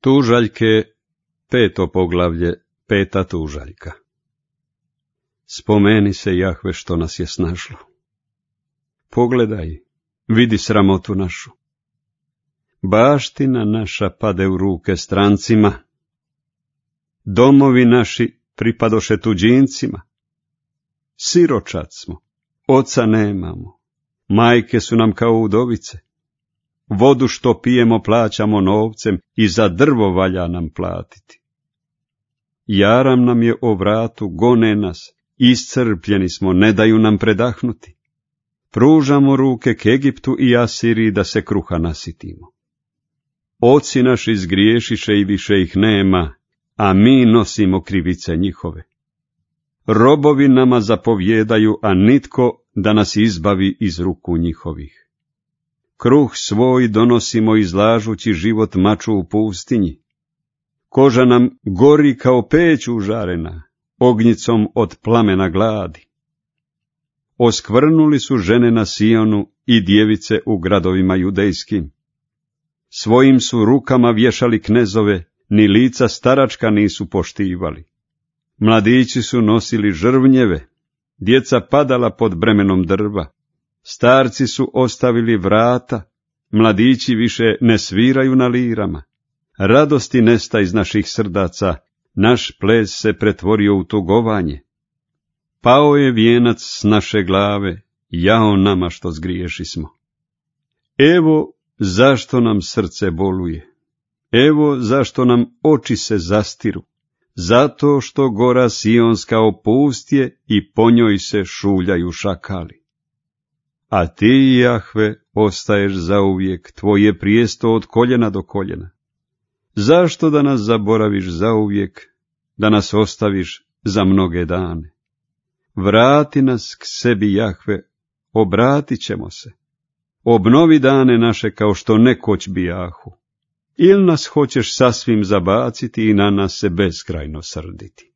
Tužaljke, 5. poglavlje, 5. tužaljka. Spomeni se, Jahve, što nas je snašlo. Pogledaj, vidi sramotu našu. Baština naša pade u ruke strancima. Domovi naši pripadoše tuđincima. Siročad smo, oca nemamo, majke su nam kao udovice. Vodu što pijemo plaćamo novcem i za drvo valja nam platiti. Jaram nam je o vratu, gone nas, iscrpljeni smo, ne daju nam predahnuti. Pružamo ruke k Egiptu i Asiriji da se kruha nasitimo. Oci naši zgriješiše i više ih nema, a mi nosimo krivice njihove. Robovi nama zapovjedaju, a nitko da nas izbavi iz ruku njihovih. Kruh svoj donosimo izlažući život maču u pustinji. Koža nam gori kao peć užarena, ognjicom od plamena gladi. Oskvrnuli su žene na Sionu i djevice u gradovima judejskim. Svojim su rukama vješali knezove, ni lica staračka nisu poštivali. Mladići su nosili žrvnjeve, djeca padala pod bremenom drva. Starci su ostavili vrata, mladići više ne sviraju na lirama. Radosti nesta iz naših srdaca, naš ples se pretvorio u tugovanje. Pao je vijenac s naše glave, jao nama što zgriješismo. Evo zašto nam srce boluje, evo zašto nam oči se zastiru, zato što gora Sionska opustje i po njoj se šuljaju šakali. A ti, Jahve, ostaješ zauvijek, tvoje prijesto od koljena do koljena. Zašto da nas zaboraviš zauvijek, da nas ostaviš za mnoge dane? Vrati nas k sebi, Jahve, obratit ćemo se. Obnovi dane naše kao što nekoć bijahu. Ili nas hoćeš sasvim zabaciti i na nas se beskrajno srditi?